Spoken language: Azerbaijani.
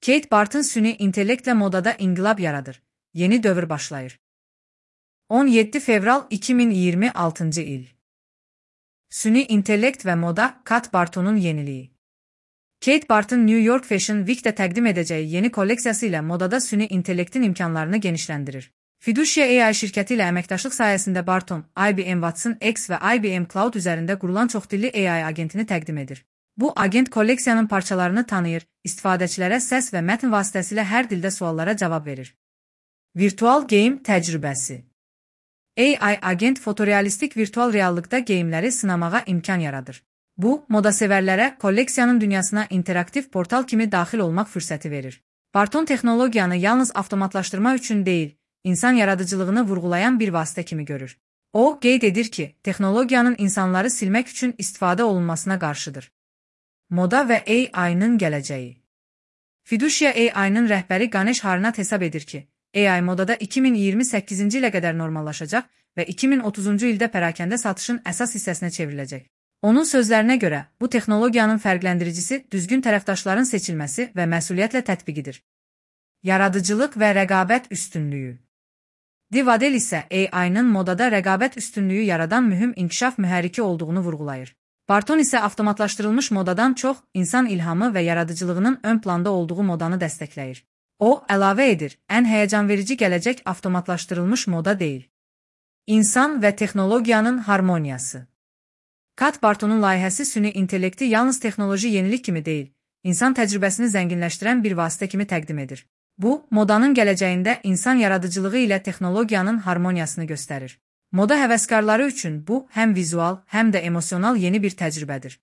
Kate Barton süni intellektlə modada inqilab yaradır. Yeni dövr başlayır. 17 fevral 2026 il. Süni intellekt və moda Kate Barton'un yeniliyi. Kate Barton New York Fashion Week'də təqdim edəcəyi yeni kolleksiyası ilə modada süni intellektin imkanlarını genişləndirir. Fiducia AI şirkəti ilə əməkdaşlıq sayəsində Barton, IBM Watson X və IBM Cloud üzərində qurulan çoxdilli AI agentini təqdim edir. Bu agent kolleksiyanın parçalarını tanıyır, istifadəçilərə səs və mətn vasitəsilə hər dildə suallara cavab verir. Virtual game təcrübəsi. AI agent fotorealistik virtual reallıqda geyimləri sınamağa imkan yaradır. Bu, modasevərlərə kolleksiyanın dünyasına interaktiv portal kimi daxil olmaq fürsəti verir. Barton texnologiyanı yalnız avtomatlaşdırma üçün deyil, insan yaradıcılığını vurğulayan bir vasitə kimi görür. O, qeyd edir ki, texnologiyanın insanları silmək üçün istifadə olunmasına qarşıdır. Moda və AI-nın gələcəyi. Fiducia AI-nın rəhbəri Ganesh Harnath hesab edir ki, AI modada 2028-ci ilə qədər normallaşacaq və 2030-cu ildə pərakəndə satışın əsas hissəsinə çevriləcək. Onun sözlərinə görə, bu texnologiyanın fərqləndiricisi düzgün tərəfdaşların seçilməsi və məsuliyyətlə tətbiqidir. Yaradıcılıq və rəqabət üstünlüyü. Divadel isə AI-nın modada rəqabət üstünlüyü yaradan mühüm inkişaf mühərriki olduğunu vurğulayır. Barton isə avtomatlaşdırılmış modadan çox insan ilhamı və yaradıcılığının ön planda olduğu modanı dəstəkləyir. O, əlavə edir, ən həyəcanverici gələcək avtomatlaşdırılmış moda deyil. İnsan və texnologiyanın harmoniyası. Kate Barton'un layihəsi süni intellekti yalnız texnoloji yenilik kimi deyil, insan təcrübəsini zənginləşdirən bir vasitə kimi təqdim edir. Bu, modanın gələcəyində insan yaradıcılığı ilə texnologiyanın harmoniyasını göstərir. Moda həvəskarları üçün bu, həm vizual, həm də emosional yeni bir təcrübədir.